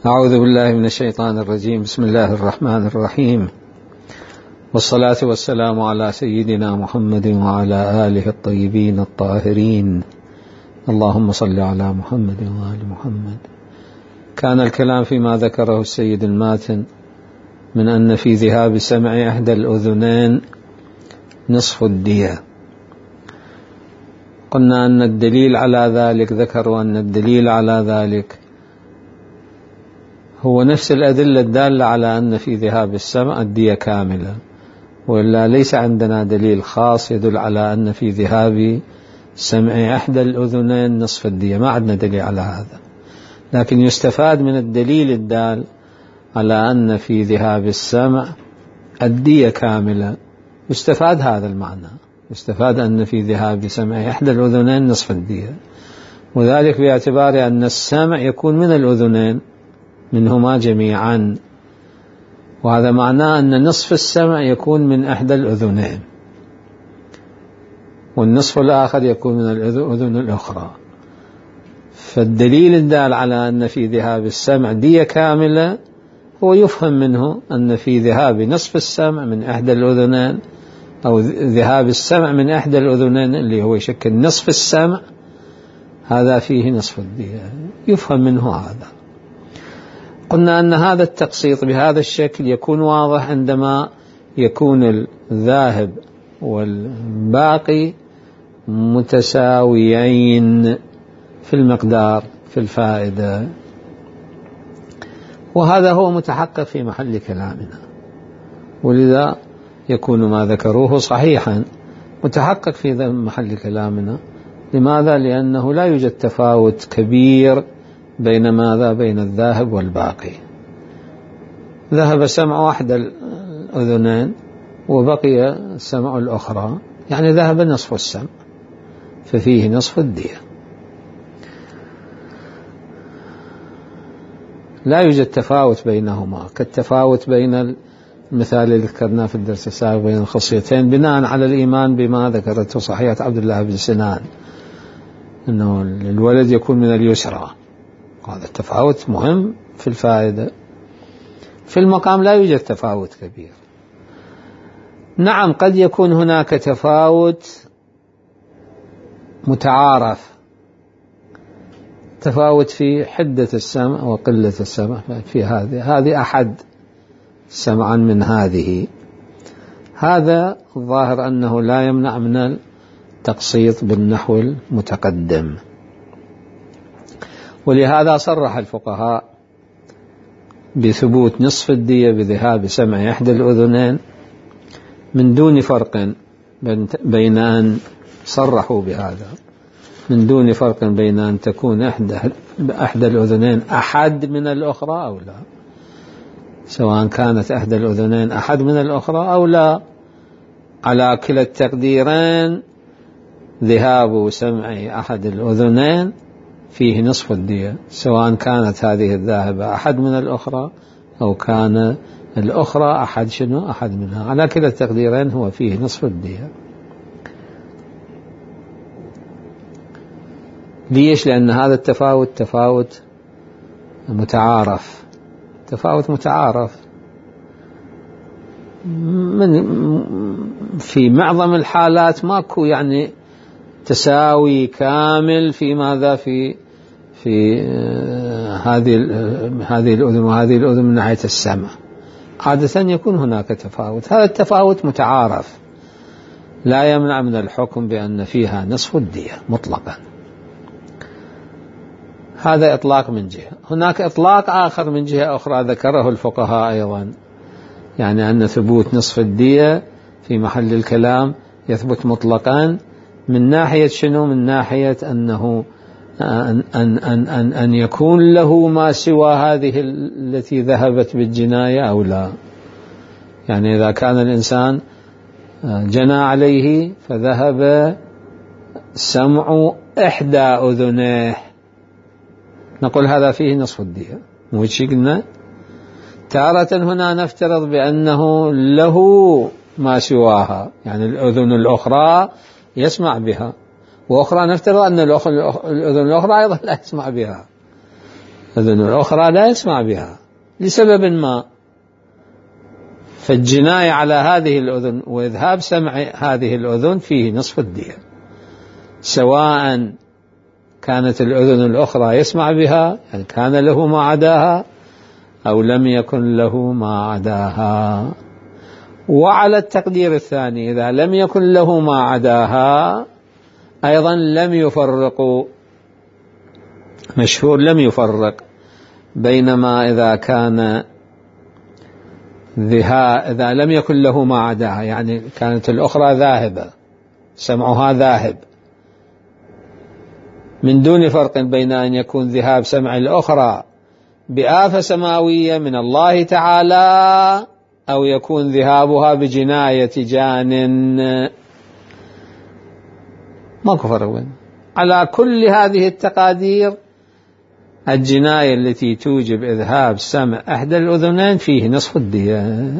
أعوذ بالله من الشيطان الرجيم. بسم الله الرحمن الرحيم، والصلاة والسلام على سيدنا محمد وعلى آله الطيبين الطاهرين. اللهم صل على محمد وآل محمد. كان الكلام فيما ذكره السيد الماتن من أن في ذهاب سمع إحدى الأذنين نصف الدية. قلنا أن الدليل على ذلك، ذكروا أن الدليل على ذلك هو نفس الأدلة الدالة على أن في ذهاب السمع الدية كاملة، وإلا ليس عندنا دليل خاص يدل على أن في ذهاب سمع إحدى الأذنين نصف الدية، ما عندنا دليل على هذا. لكن يستفاد من الدليل الدال على أن في ذهاب السمع الدية كاملة، يستفاد هذا المعنى، يستفاد أن في ذهاب سمع إحدى الأذنين نصف الدية، وذلك باعتبار أن السمع يكون من الأذنين منهما جميعا، وهذا معناه أن نصف السمع يكون من إحدى الأذنين، والنصف الآخر يكون من الأذن الأخرى. فالدليل الدال على أن في ذهاب السمع دية كاملة هو يفهم منه أن في ذهاب نصف السمع من إحدى الأذنين، أو ذهاب السمع من إحدى الأذنين اللي هو يشكل نصف السمع، هذا فيه نصف الدية، يفهم منه هذا. قلنا أن هذا التقسيط بهذا الشكل يكون واضح عندما يكون الذاهب والباقي متساويين في المقدار في الفائدة، وهذا هو متحقق في محل كلامنا، ولذا يكون ما ذكروه صحيحا متحقق في محل كلامنا. لماذا؟ لأنه لا يوجد تفاوت كبير بين ماذا؟ بين الذاهب والباقي. ذهب سمع أحد الأذنين وبقي السمع الأخرى، يعني ذهب نصف السمع، ففيه نصف الدية. لا يوجد تفاوت بينهما كالتفاوت بين المثال اللي ذكرناه في الدرس السابق بين الخصيتين، بناء على الإيمان بما ذكرته صحيحة عبد الله بن سنان أنه الولد يكون من اليسرى. هذا التفاوت مهم في الفائدة. في المقام لا يوجد تفاوت كبير. نعم، قد يكون هناك تفاوت متعارف، تفاوت في حدة السمع وقلة السمع، في هذه أحد سمعا من هذه، هذا الظاهر أنه لا يمنع من التقسيط بالنحو المتقدم. ولهذا صرح الفقهاء بثبوت نصف الدية بذهاب سمع إحدى الأذنين من دون فرق بين أن صرحوا بهذا من دون فرق بين أن تكون إحدى الأذنين أحد من الأخرى أو لا، سواء كانت إحدى الأذنين أحد من الأخرى أو لا، على كلا التقديرين ذهاب سمع أحد الأذنين فيه نصف الدية، سواء كانت هذه الذاهبة أحد من الأخرى أو كان الأخرى أحد منها، على كلا التقديرين هو فيه نصف الدية. ليش؟ لأن هذا التفاوت تفاوت متعارف، تفاوت متعارف في معظم الحالات ماكو يعني تساوي كامل في ماذا في هذه الأذن وهذه الأذن من ناحية السمع. عادة يكون هناك تفاوت، هذا التفاوت متعارف لا يمنع من الحكم بأن فيها نصف الدية مطلقا. هذا إطلاق من جهة. هناك إطلاق آخر من جهة أخرى ذكره الفقهاء أيضا، يعني أن ثبوت نصف الدية في محل الكلام يثبت مطلقا من ناحية شنو؟ من ناحية أنه أن يكون له ما سوى هذه التي ذهبت بالجناية أو لا. يعني إذا كان الإنسان جنى عليه فذهب سمع إحدى أذنيه، نقول هذا فيه نصف الدية، مو شيء قلنا. تارة هنا نفترض بأنه له ما سواها، يعني الأذن الأخرى يسمع بها، وأخرى نفترض أن الأذن الأخرى أيضا لا يسمع بها، الأذن الأخرى لا يسمع بها لسبب ما، فالجناية على هذه الأذن وإذهاب سمع هذه الأذن فيه نصف الدية، سواء كانت الأذن الأخرى يسمع بها يعني كان له ما عداها أو لم يكن له ما عداها. وعلى التقدير الثاني إذا لم يكن له ما عداها أيضا لم يفرقوا، مشهور لم يفرق بينما إذا كان إذا لم يكن له ما عداها يعني كانت الأخرى ذاهبة سمعها ذاهب، من دون فرق بين أن يكون ذهاب سمع الأخرى بآفة سماوية من الله تعالى أو يكون ذهابها بجناية جان، ماكو فرق بين. على كل هذه التقادير الجناية التي توجب إذهاب سمع إحدى الأذنين فيه نصف الدية،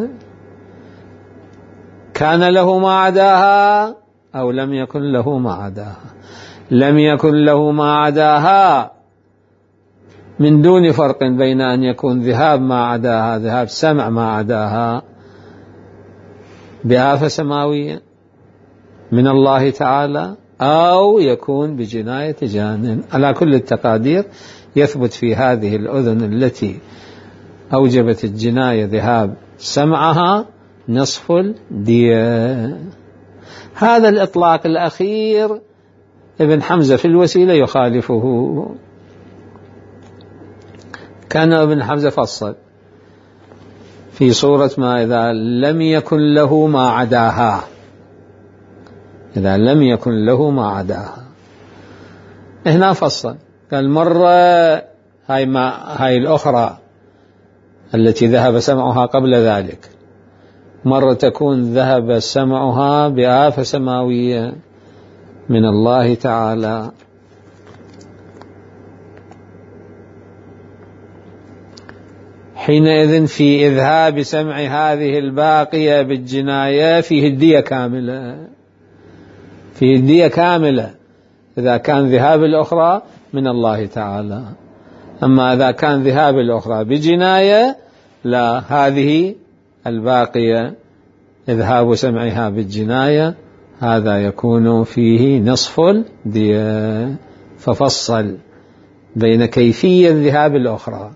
كان له ما عداها أو لم يكن له ما عداها. لم يكن له ما عداها من دون فرق بين أن يكون ذهاب ما عداها، ذهاب سمع ما عداها بآفة سماوية من الله تعالى أو يكون بجناية جان. على كل التقادير يثبت في هذه الأذن التي أوجبت الجناية ذهاب سمعها نصف الدية. هذا الإطلاق الأخير ابن حمزة في الوسيلة يخالفه، كان ابن حمزة فصل في صورة ما إذا لم يكن له ما عداها، إذا لم يكن له ما عداها هنا فصل قال مرة هاي الأخرى التي ذهب سمعها قبل ذلك، مرة تكون ذهب سمعها بآفة سماوية من الله تعالى، حينئذ في إذهاب سمع هذه الباقية بالجناية فيه الدية كاملة، فيه الدية كاملة إذا كان ذهاب الأخرى من الله تعالى. أما إذا كان ذهاب الأخرى بجناية لا، هذه الباقية إذهاب سمعها بالجناية هذا يكون فيه نصف الدية. ففصل بين كيفية ذهاب الأخرى،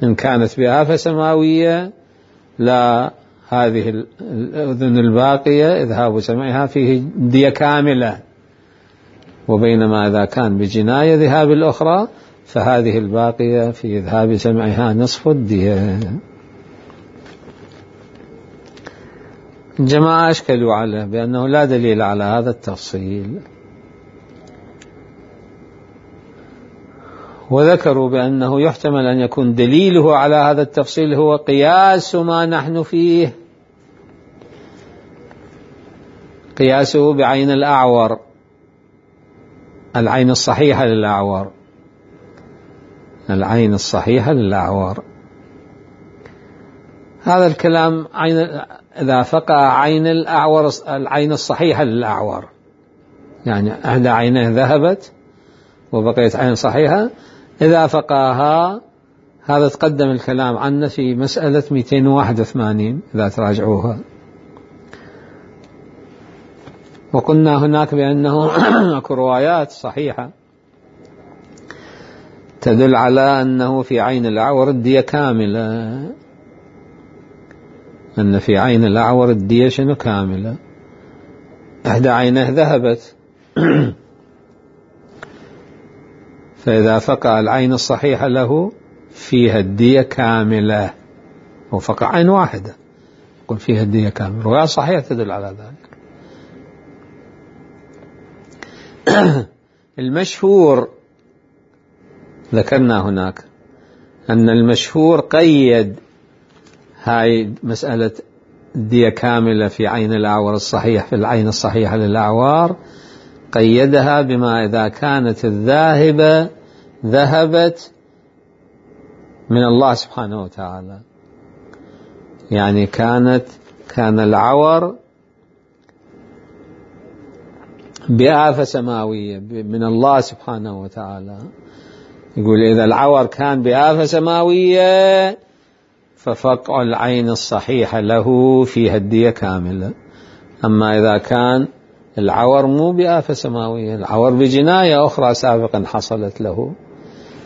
إن كانت بآفة سماوية لا، هذه الأذن الباقية إذهاب سمعها فيه دية كاملة، وبينما إذا كان بجناية ذهاب الأخرى فهذه الباقية في إذهاب سمعها نصف الدية. الجماعة أشكلوا عليه بأنه لا دليل على هذا التفصيل، وذكروا بأنه يحتمل أن يكون دليله على هذا التفصيل هو قياس ما نحن فيه، قياسه بعين الأعور، العين الصحيحة للأعور، العين الصحيحة للأعور. هذا الكلام إذا فقع عين الأعور العين الصحيحة للأعور، يعني إحدى عينه ذهبت وبقيت عين صحيحة، إذا فقاها، هذا تقدم الكلام عنه في مسألة 281 إذا تراجعوها، وقلنا هناك بأنه أكو روايات صحيحة تدل على أنه في عين الأعور الدية كاملة، أن في عين الأعور الدية شنو كاملة، إحدى عينه ذهبت فإذا فقع العين الصحيحة له فيها الدية كاملة، وفقع عين واحدة يقول فيها الدية كاملة، رواية صحيحة تدل على ذلك. المشهور ذكرنا هناك أن المشهور قيد هاي مسألة الدية كاملة في عين الأعور الصحيح، في العين الصحيحة للأعوار، قيدها بما إذا كانت الذاهبة ذهبت من الله سبحانه وتعالى، يعني كان العور بآفة سماوية من الله سبحانه وتعالى، يقول إذا العور كان بآفة سماوية ففقع العين الصحيحة له فيها الدية كاملة. أما إذا كان العور مو بآفة سماوية، العور بجناية أخرى سابقا حصلت له،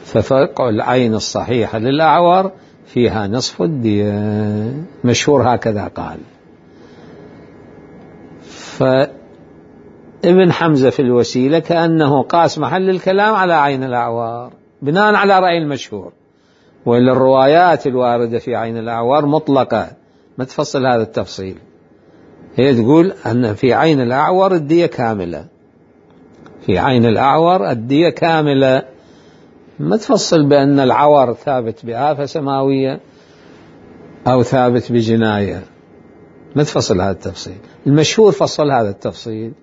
ففقع العين الصحيحة للأعور فيها نصف الدية. مشهور هكذا قال. فابن حمزة في الوسيلة كأنه قاس محل الكلام على عين الأعوار بناء على رأي المشهور، وإلا الروايات الواردة في عين الأعوار مطلقة ما تفصل هذا التفصيل. هي تقول أن في عين الأعور الدية كاملة، في عين الأعور الدية كاملة، ما تفصل بأن العور ثابت بآفة سماوية أو ثابت بجناية، ما تفصل هذا التفصيل. المشهور فصل هذا التفصيل،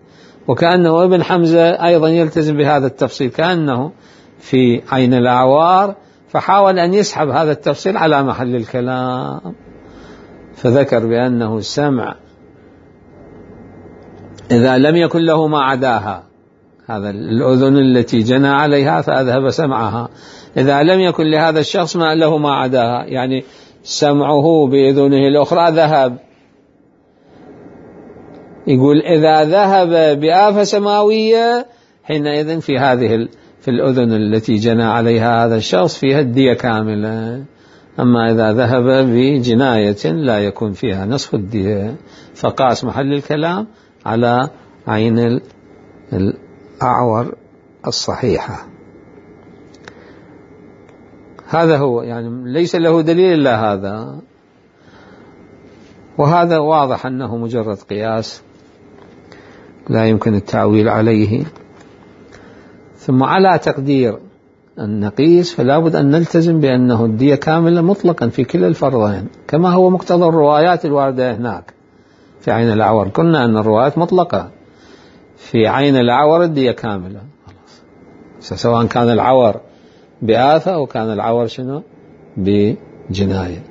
وكأنه ابن حمزة أيضا يلتزم بهذا التفصيل، كأنه في عين الأعوار، فحاول أن يسحب هذا التفصيل على محل الكلام، فذكر بأنه السمع إذا لم يكن له ما عداها، هذا الأذن التي جنى عليها فأذهب سمعها، إذا لم يكن لهذا الشخص ما له ما عداها، يعني سمعه بأذنه الأخرى ذهب. يقول إذا ذهب بآفة سماوية حينئذ في الأذن التي جنى عليها هذا الشخص فيها الدية كاملة. أما إذا ذهب بجناية لا يكون فيها نصف الدية، فقاس محل الكلام على عين الأعور الصحيحة. هذا هو، يعني ليس له دليل إلا هذا، وهذا واضح أنه مجرد قياس لا يمكن التعويل عليه. ثم على تقدير أن نقيس فلا بد أن نلتزم بأنه الدية كاملة مطلقا في كلا الفرضين، كما هو مقتضى الروايات الواردة هناك في عين الأعور. قلنا أن الروايات مطلقة، في عين الأعور الدية كاملة، سواء كان العور بآفة أو كان العور بجناية.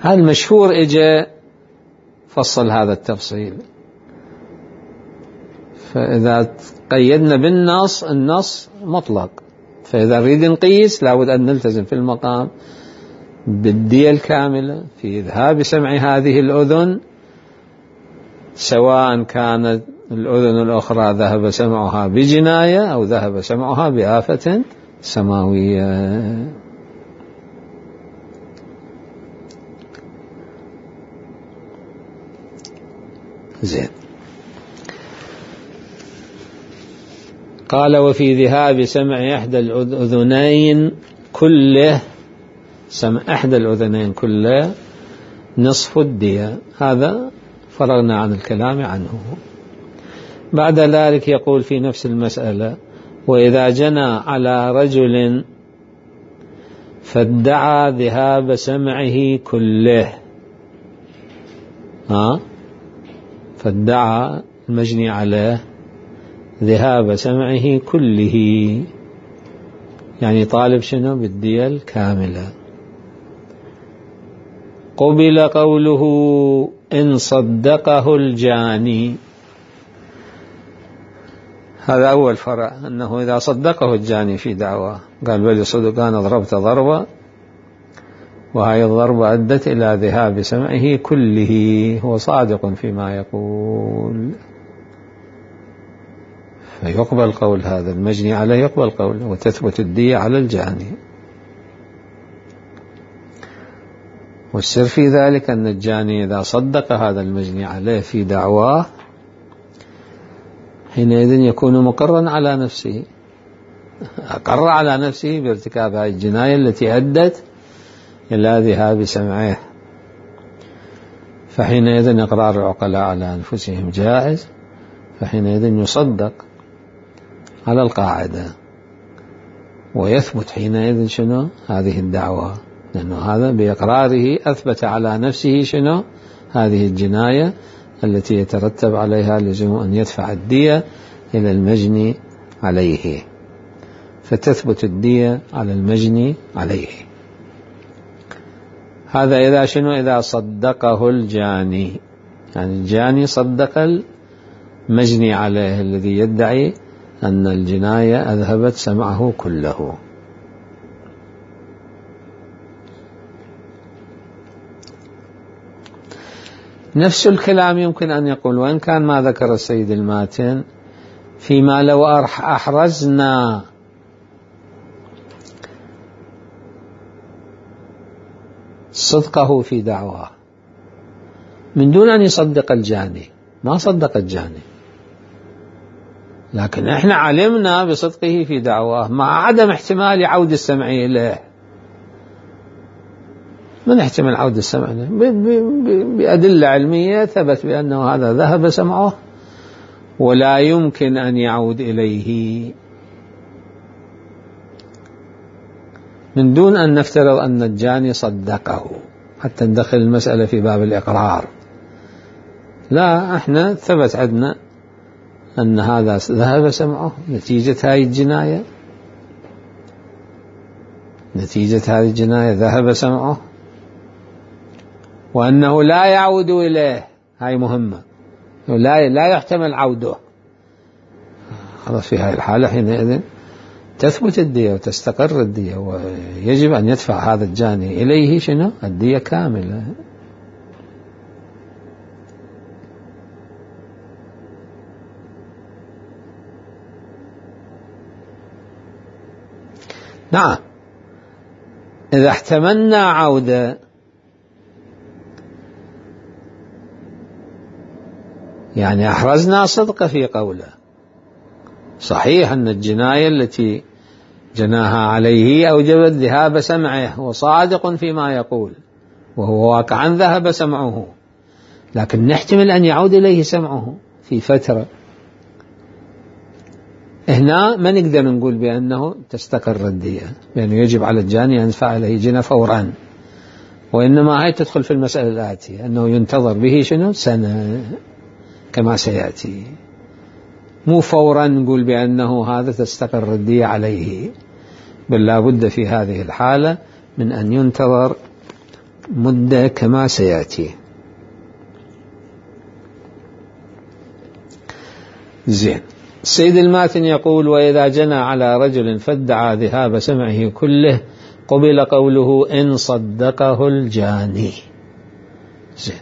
هذا المشهور إجا فصل هذا التفصيل. فإذا قيدنا بالنص، النص مطلق، فإذا نريد نقيس لابد أن نلتزم في المقام بالدية الكاملة في إذهاب سمع هذه الأذن، سواء كانت الأذن الأخرى ذهب سمعها بجناية أو ذهب سمعها بآفة سماوية. زين. قال وفي ذهاب سمع إحدى الأذنين كله، سمع إحدى الأذنين كله نصف الدية. هذا فرغنا عن الكلام عنه. بعد ذلك يقول في نفس المسألة: وإذا جنى على رجل فادعى ذهاب سمعه كله، فادعى المجني عليه ذهاب سمعه كله، يعني طالب بالدية الكاملة. قبل قوله إن صدقه الجاني. هذا أول فرع، أنه إذا صدقه الجاني في دعوة، قال بل صدقان ضربت ضربة، وهي الضربة أدت إلى ذهاب سمعه كله، هو صادق فيما يقول، فيقبل قول هذا المجني عليه، يقبل قوله، وتثبت الدية على الجاني. والسر في ذلك أن الجاني إذا صدق هذا المجني عليه في دعواه حينئذ يكون مقرا على نفسه، أقر على نفسه بارتكاب هذه الجناية التي أدت إلى ذهاب سمعه، فحينئذ إقرار العقلاء على أنفسهم جائز، فحينئذ يصدق على القاعدة، ويثبت حينئذ هذه الدعوة، لأنه هذا بإقراره أثبت على نفسه هذه الجناية التي يترتب عليها لزوم أن يدفع الدية إلى المجني عليه، فتثبت الدية على المجني عليه. هذا إذا إذا صدقه الجاني، يعني الجاني صدق المجني عليه الذي يدعي أن الجناية أذهبت سمعه كله. نفس الكلام يمكن أن يقول وإن كان ما ذكر السيد الماتن فيما لو أحرزنا صدقه في دعواه من دون أن يصدق الجاني، ما صدق الجاني، لكن احنا علمنا بصدقه في دعواه مع عدم احتمال عود السمع إليه. من احتمال عود السمع إليه؟ بأدلة علمية ثبت بأنه هذا ذهب سمعه ولا يمكن أن يعود إليه، من دون أن نفترض أن الجاني صدقه حتى ندخل المسألة في باب الإقرار. لا، احنا ثبت عندنا أن هذا ذهب سمعه نتيجة هذه الجناية، نتيجة هذه الجناية ذهب سمعه، وأنه لا يعود إليه، هاي مهمة، لا يحتمل عوده. خلاص في هذه الحالة حينئذ تثبت الدية وتستقر الدية، ويجب أن يدفع هذا الجاني إليه شنو؟ الدية كاملة. نعم، إذا احتملنا عودة يعني أحرزنا صدق في قوله. صحيح أن الجناية التي جناها عليه أوجبت ذهاب سمعه وصادق فيما يقول وهو واقعا ذهب سمعه، لكن نحتمل أن يعود إليه سمعه في فترة. هنا ما نقدر نقول بأنه تستقر الدية، لأنه يجب على الجاني أن يدفع إليه جنة فورا، وإنما هي تدخل في المسألة الآتية أنه ينتظر به شنو؟ سنة كما سيأتي، مو فورا نقول بأنه هذا تستقر الدية عليه، بل لا بد في هذه الحالة من أن ينتظر مدة كما سيأتي. زين. السيد الماتن يقول وإذا جنى على رجل فادعى ذهاب سمعه كله قبل قوله إن صدقه الجاني. زين.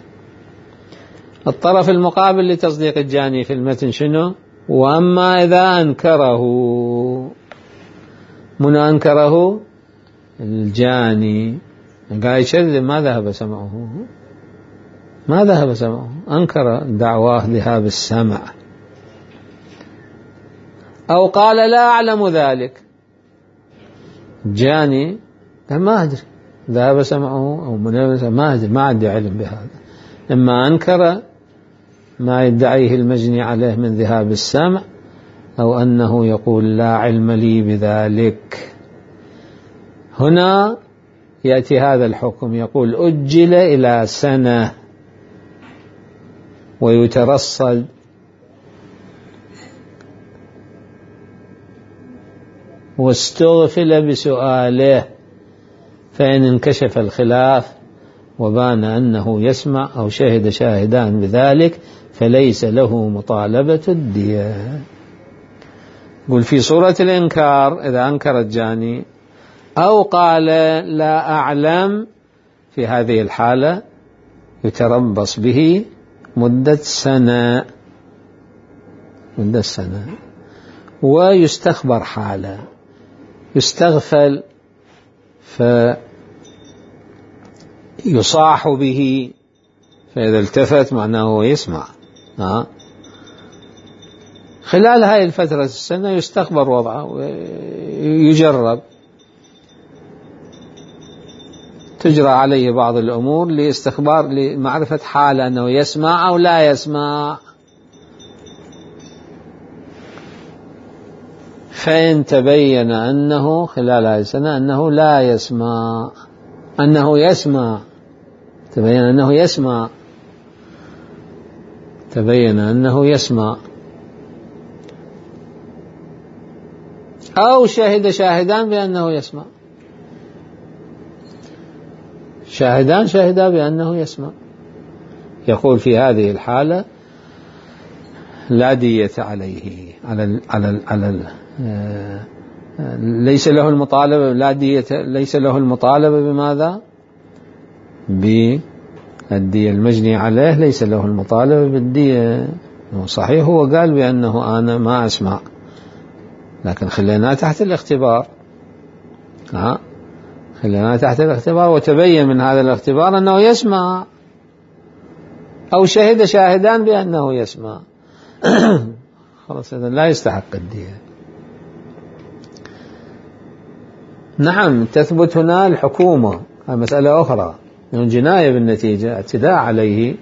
الطرف المقابل لتصديق الجاني في المتن شنو؟ وأما إذا أنكره، من أنكره؟ الجاني، قال يشذب، ما ذهب سمعه، ما ذهب سمعه، أنكر دعواه ذهاب السمع، أو قال لا أعلم ذلك. جاني ما أدري ذهب سمعه أو ما أدري، ما عندي علم بهذا. إما أنكر ما يدعيه المجني عليه من ذهاب السمع، أو أنه يقول لا علم لي بذلك. هنا يأتي هذا الحكم، يقول أجل إلى سنة ويترصد واستغفل بسؤاله، فإن انكشف الخلاف وبان أنه يسمع أو شهد شاهدان بذلك فليس له مطالبة الدية. قل في صورة الإنكار إذا أنكر الجاني أو قال لا أعلم، في هذه الحالة يتربص به مدة سنة، مدة سنة، ويستخبر حاله، يستغفل فيصاح به، فإذا التفت معناه هو يسمع. خلال هاي الفترة السنة يستخبر وضعه ويجرب، تجرى عليه بعض الأمور لاستخبار لمعرفة حاله أنه يسمع أو لا يسمع. فإن تبين أنه خلال هذه السنة أنه لا يسمع، أنه يسمع، تبين أنه يسمع، تبين أنه يسمع، أو شهد شاهدان بأنه يسمع، شاهدان شهدا بأنه يسمع، يقول في هذه الحالة لا دية عليه، ليس له المطالبة، لا دية، ليس له المطالبة بماذا؟ الدية المجني عليه ليس له المطالبة بالدية. صحيح هو قال بأنه أنا ما أسمع، لكن خليناه تحت الاختبار، خليناه تحت الاختبار وتبين من هذا الاختبار أنه يسمع، أو شهد شاهدان بأنه يسمع. خلاص إذن لا يستحق الدية. نعم تثبت هنا الحكومة، هذه مسألة أخرى، جناية بالنتيجة، اعتداء عليه،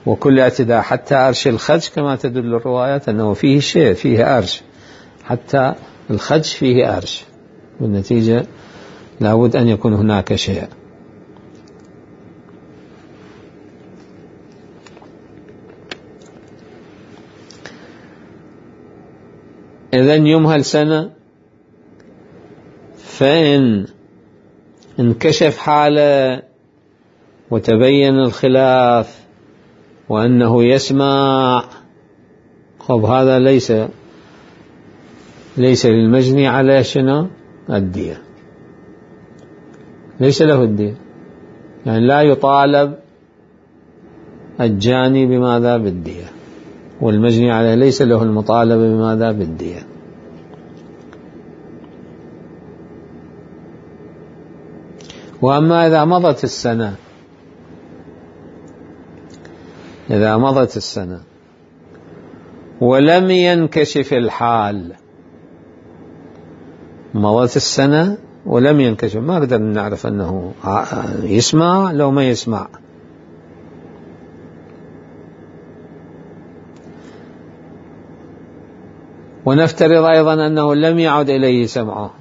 وكل اعتداء حتى أرش الخدش كما تدل الروايات أنه فيه شيء، فيه أرش، حتى الخدش فيه أرش، بالنتيجة لابد أن يكون هناك شيء. إذن يمهل سنة، فإن انكشف حاله وتبين الخلاف وأنه يسمع، خب هذا ليس للمجني عليه شنو؟ الدية، ليس له الدية، يعني لا يطالب الجاني بماذا؟ بالدية، والمجني عليه ليس له المطالبة بماذا؟ بالدية. وأما إذا مضت السنة، إذا مضت السنة ولم ينكشف الحال، مضت السنة ولم ينكشف، ما قدر نعرف أنه يسمع لو ما يسمع، ونفترض أيضا أنه لم يعد إليه سمعه،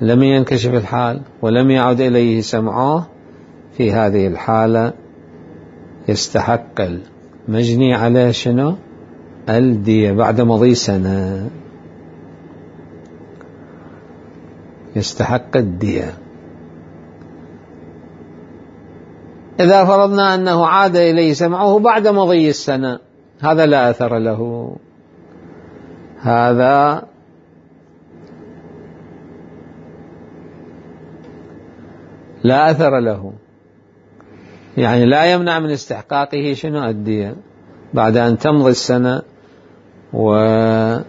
لم ينكشف الحال ولم يعد إليه سمعه، في هذه الحالة يستحق المجني عليه شنو؟ الدية بعد مضي سنة، يستحق الدية. إذا فرضنا أنه عاد إليه سمعه بعد مضي السنة، هذا لا أثر له، هذا لا أثر له، يعني لا يمنع من استحقاقه شنو؟ الدية، بعد أن تمضي السنة ولم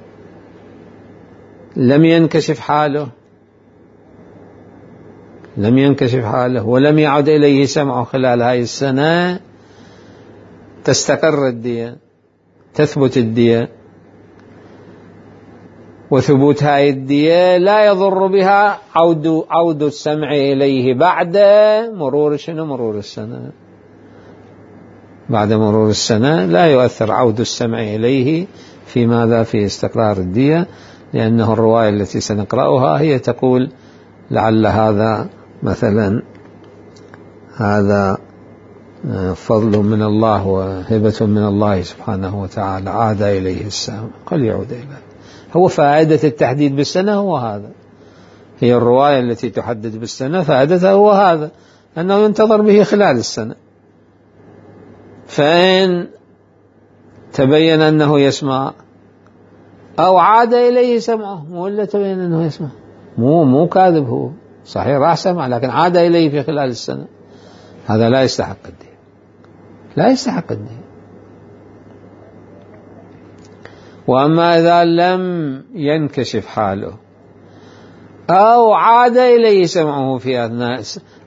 ينكشف حاله، لم ينكشف حاله ولم يعد إليه سمعه خلال هذه السنة، تستقر الدية، تثبت الدية، وثبوت هذه الدية لا يضر بها عود السمع إليه بعد مرور شنو؟ مرور السنة، بعد مرور السنة لا يؤثر عود السمع إليه في ماذا؟ في استقرار الدية، لأنه الرواية التي سنقرأها هي تقول لعل هذا مثلا هذا فضل من الله وهبة من الله سبحانه وتعالى، عاد إليه السمع، قل يعود إليه. هو فائدة التحديد بالسنة هو هذا، هي الرواية التي تحدد بالسنة فائدتها هو هذا، أنه ينتظر به خلال السنة، فإن تبين أنه يسمع أو عاد إليه سمعه، ولا تبين أنه يسمع، مو كاذب، هو صحيح راح سمع لكن عاد إليه في خلال السنة، هذا لا يستحق الدية، لا يستحق الدية. وأما إذا لم ينكشف حاله أو عاد إليه سمعه في أثناء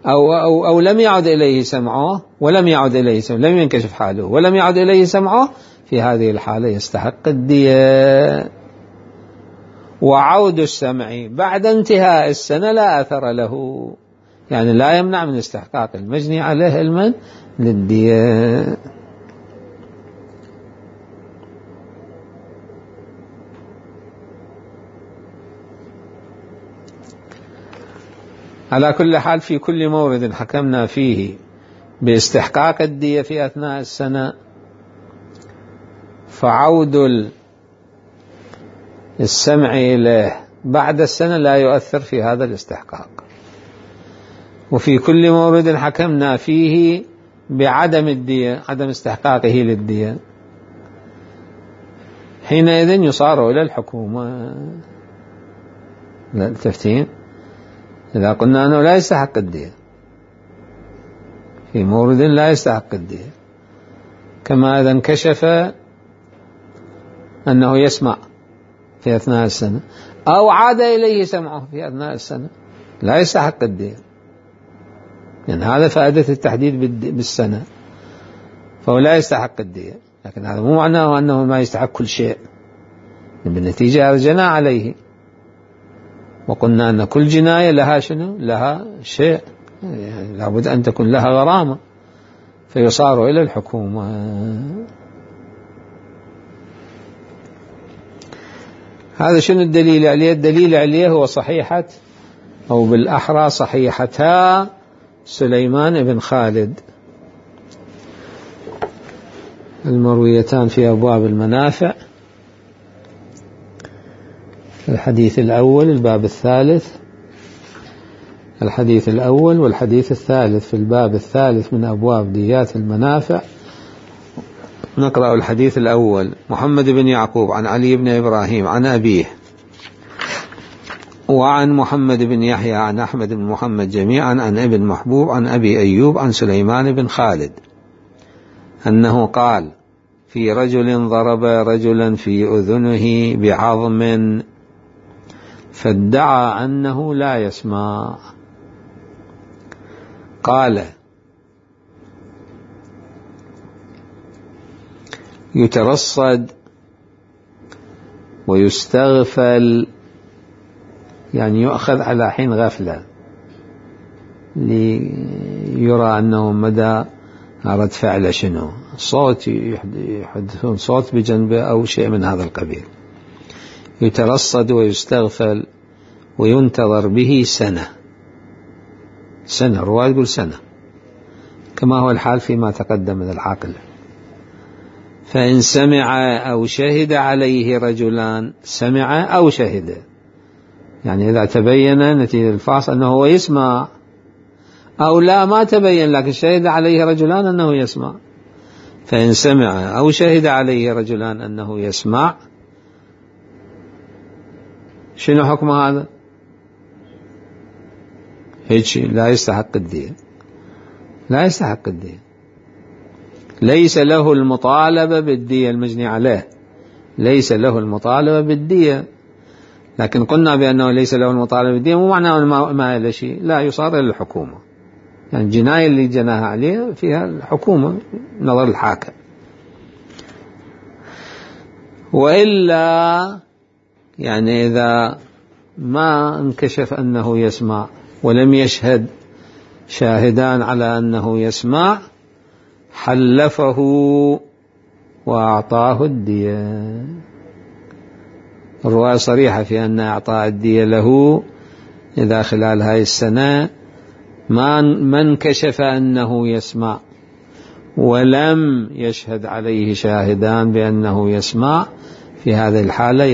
أو لم يعد إليه سمعه ولم يعد إليه سمعه، لم ينكشف حاله ولم يعد إليه سمعه، في هذه الحالة يستحق الدية. وعود السمع بعد انتهاء السنة لا أثر له، يعني لا يمنع من استحقاق المجني عليه المن للدية. على كل حال في كل مورد حكمنا فيه باستحقاق الدية في أثناء السنة، فعود السمع إليه بعد السنة لا يؤثر في هذا الاستحقاق. وفي كل مورد حكمنا فيه بعدم الدية، عدم استحقاقه للدية، حينئذ يصار إلى الحكومة. لا تفتين إذا قلنا أنه لا يستحق الدية في مورد لا يستحق الدية، كما إذا انكشف أنه يسمع في أثناء السنة أو عاد إليه سمعه في أثناء السنة لا يستحق الدية، يعني هذا فائدة التحديد بالسنة، فهو لا يستحق الدية. لكن هذا مو معناه أنه ما يستحق كل شيء، بالنتيجة أرجعنا عليه وقلنا أن كل جناية لها شنو؟ لها شيء، يعني لابد أن تكون لها غرامة، فيصار إلى الحكومة. هذا شنو الدليل عليه؟ الدليل عليه هو صحيحة، أو بالأحرى صحيحتا سليمان بن خالد المرويتان في أبواب المنافع، الحديث الأول الباب الثالث، الحديث الأول والحديث الثالث في الباب الثالث من أبواب ديات المنافع. نقرأ الحديث الأول: محمد بن يعقوب عن علي بن إبراهيم عن أبيه وعن محمد بن يحيى عن أحمد بن محمد جميعا عن ابن محبوب عن أبي أيوب عن سليمان بن خالد أنه قال: في رجل ضرب رجلا في أذنه بعظم فادعى أنه لا يسمع. قال: يترصد ويستغفل، يعني يؤخذ على حين غفلة ليرى أنه مدى رد فعل شنو، صوت يحدثون صوت بجنبه أو شيء من هذا القبيل. يترصد ويستغفل وينتظر به سنة، الرواية يقول سنة كما هو الحال فيما تقدم من العقل. فإن سمع أو شهد عليه رجلان، سمع أو شهد، يعني إذا تبين نتيجة الفحص أنه هو يسمع، أو لا ما تبين لكن شهد عليه رجلان أنه يسمع، فإن سمع أو شهد عليه رجلان أنه يسمع، شنو حكم هذا؟ هيك لا يستحق الدية، لا يستحق الدية، ليس له المطالبة بالدية المجني عليه، ليس له المطالبة بالدية. لكن قلنا بأنه ليس له المطالبة بالدية مو معناه ما له شيء، لا، يصار إلى الحكومة، يعني الجناية اللي جناها عليه فيها الحكومة نظر الحاكم. وإلا يعني إذا ما انكشف أنه يسمع ولم يشهد شاهدان على أنه يسمع، حلفه وأعطاه الدية. الرواية صريحة في أن أعطاء الدية له إذا خلال هاي السنة ما انكشف أنه يسمع ولم يشهد عليه شاهدان بأنه يسمع، في هذه الحالة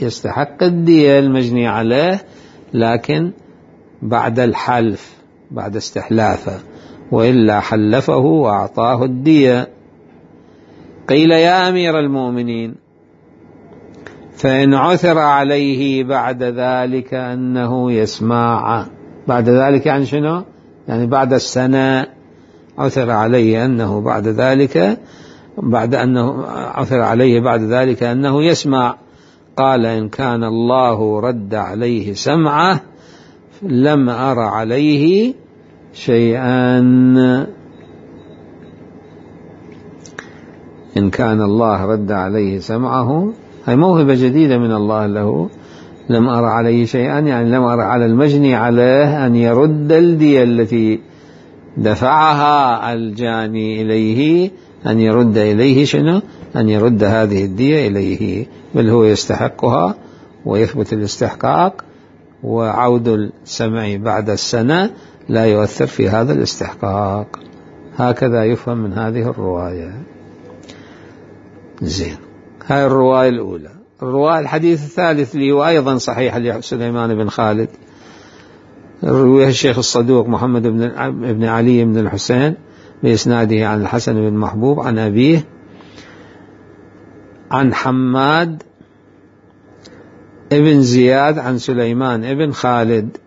يستحق الدية المجني عليه، لكن بعد الحلف، بعد استحلافه، وإلا حلفه وأعطاه الدية. قيل: يا أمير المؤمنين، فإن عثر عليه بعد ذلك أنه يسمع، بعد ذلك يعني شنو؟ يعني بعد السنة عثر عليه أنه بعد ذلك، بعد أنه عثر عليه بعد ذلك أنه يسمع. قال: إن كان الله رد عليه سمعه لم أر عليه شيئا. إن كان الله رد عليه سمعه، هي موهبة جديدة من الله له، لم أر عليه شيئا، يعني لم أر على المجني عليه أن يرد الدية التي دفعها الجاني إليه، أن يرد إليه شنو؟ أن يرد هذه الدية إليه، بل هو يستحقها ويثبت الاستحقاق، وعود السمع بعد السنة لا يؤثر في هذا الاستحقاق. هكذا يفهم من هذه الرواية. زين، هاي الرواية الأولى. الرواية الحديث الثالث اللي هو أيضا صحيح لسليمان بن خالد، رواه الشيخ الصدوق محمد بن علي بن الحسين بإسناده عن الحسن بن محبوب عن أبيه عن حماد ابن زياد عن سليمان ابن خالد.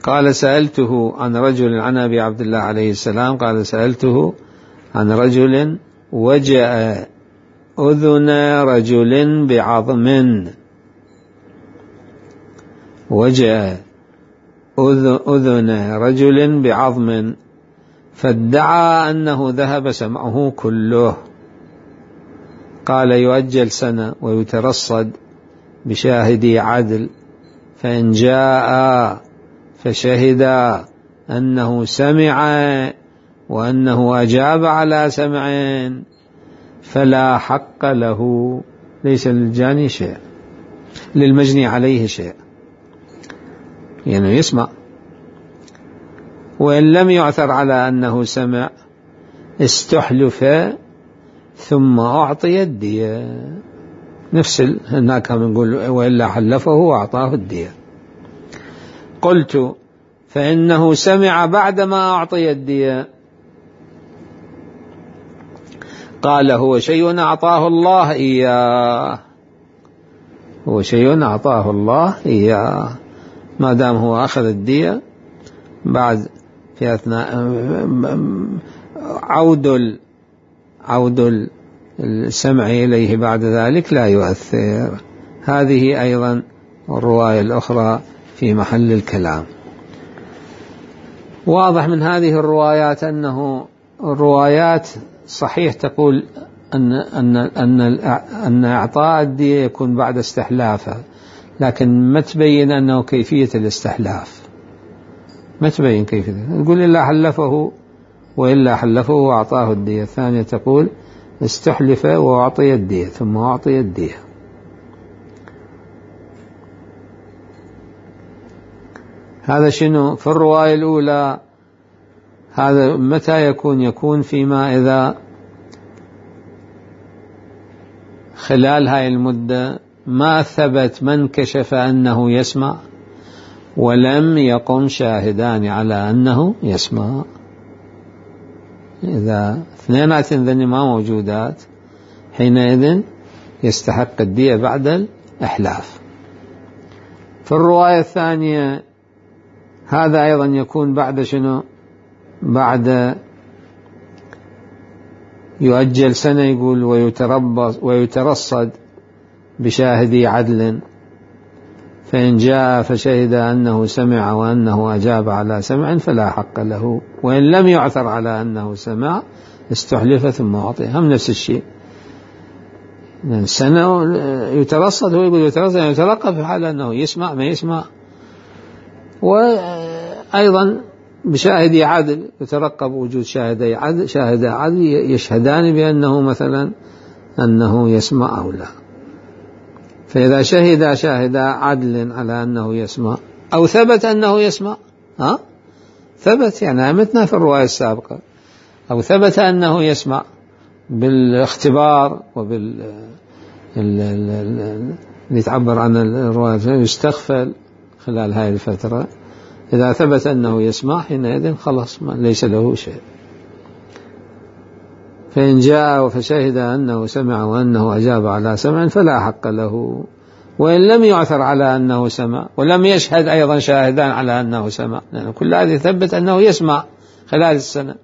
قال سألته عن رجل عن أبي عبد الله عليه السلام قال سألته عن رجل وجأ أذن رجل بعظم، وجأ أذن رجل بعظم فادعى أنه ذهب سمعه كله. قال يؤجل سنة ويترصد بشاهدي عدل، فإن جاء فشهد أنه سمع وأنه أجاب على سمع فلا حق له، ليس للجاني شيء، للمجني عليه شيء، يعني يسمع. وإن لم يعثر على أنه سمع استحلف ثم أعطي الدية، نفس هناك نقول وإلا حلفه وأعطاه الدية. قلت فإنه سمع بعدما أعطي الدية. قال هو شيء أعطاه الله إياه، هو شيء أعطاه الله إياه، ما دام هو أخذ الدية بعد في أثناء عود السمع إليه بعد ذلك لا يؤثر. هذه أيضا الرواية الأخرى في محل الكلام. واضح من هذه الروايات أنه الروايات صحيح تقول أن إعطاء الدية يكون بعد استحلافه، لكن ما تبين أنه كيفية الاستحلاف، ما تبين كيفية. تقول إلا حلفه وإلا حلفه وأعطاه الدية. الثانية تقول استحلف وأعطي الدية ثم أعطي الدية. هذا شنو في الرواية الأولى؟ هذا متى يكون فيما إذا خلال هاي المدة ما ثبت من كشف أنه يسمع ولم يقم شاهدان على أنه يسمع. إذا اثنينات ذني ما موجودات حينئذ يستحق الدية بعد الإحلاف. في الرواية الثانية هذا أيضا يكون بعد شنو؟ بعد يؤجل سنة يقول ويترصد بشاهدي عدل، فإن جاء فشهد أنه سمع وأنه أجاب على سمع فلا حق له، وإن لم يعثر على أنه سمع استحلف ثم أعطي. هم نفس الشيء، سنة يترصد، هو يقول يترقب في حال أنه يسمع ما يسمع. وأيضا بشاهدي عدل يترقب وجود شاهدي عدل يشهدان بأنه مثلا أنه يسمع أو لا. فإذا شاهد عدل على أنه يسمع أو ثبت أنه يسمع، ثبت يعني متنا في الرواية السابقة، أو ثبت أنه يسمع بالاختبار اللي تعبر عن الرواية يستغفل خلال هذه الفترة. إذا ثبت أنه يسمع حينئذ خلاص ليس له شيء. فإن جاء فشهد أنه سمع وأنه أجاب على سمع فلا حق له، وإن لم يعثر على أنه سمع ولم يشهد أيضا شاهدان على أنه سمع، لأن كل هذه ثبت أنه يسمع خلال السنة،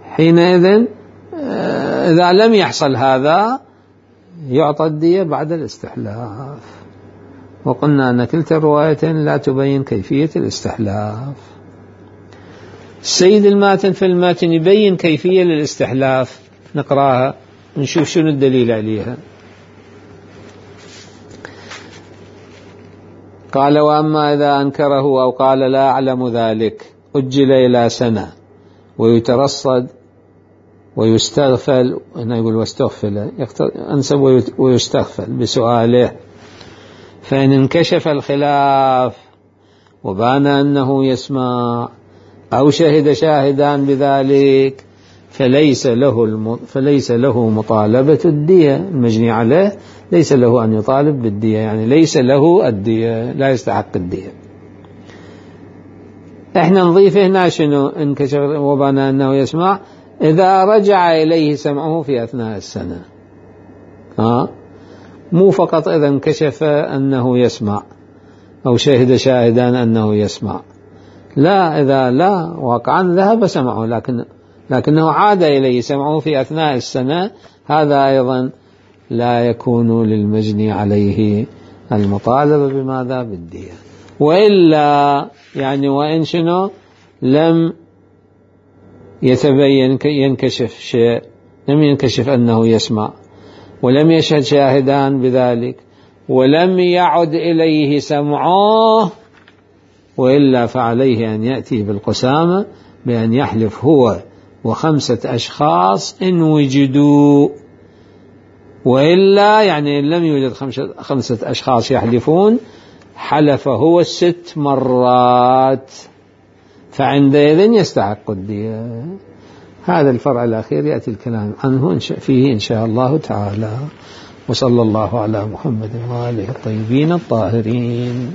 حينئذ إذا لم يحصل هذا يعطى الدية بعد الاستحلاف. وقلنا أن كلتا الروايتين لا تبين كيفية الاستحلاف. السيد الماتن في الماتن يبين كيفية للاستحلاف، نقراها نشوف شنو الدليل عليها. قال وأما إذا أنكره أو قال لا أعلم ذلك أجل إلى سنة ويترصد ويستغفل، هنا يقول واستغفل أنسب ويستغفل بسؤاله، فإن انكشف الخلاف وبان أنه يسمع أو شهد شاهدان بذلك فليس له مطالبة الدية، المجني عليه ليس له أن يطالب بالدية، يعني ليس له الدية، لا يستحق الدية. احنا نضيف هنا شنو؟ انكشف وبان أنه يسمع إذا رجع إليه سمعه في أثناء السنة، مو فقط إذا انكشف أنه يسمع، أو شهد شاهدان أنه يسمع. لا، إذا لا واقعا ذهب سمعه لكنه عاد إليه سمعه في أثناء السنة، هذا أيضا لا يكون للمجني عليه المطالبة بماذا؟ بالدية. وإلا يعني وإن شنو لم يتبين ينكشف شيء، لم ينكشف أنه يسمع ولم يشهد شاهدان بذلك ولم يعد إليه سمعه، وإلا فعليه أن يأتي بالقسامة بأن يحلف هو و5 أشخاص إن وجدوا، وإلا يعني إن لم يوجد 5 أشخاص يحلفون حلف هو 6 مرات، فعندئذ يستحق الدية. هذا الفرع الأخير يأتي الكلام عنه فيه إن شاء الله تعالى. وصلى الله على محمد وآله الطيبين الطاهرين.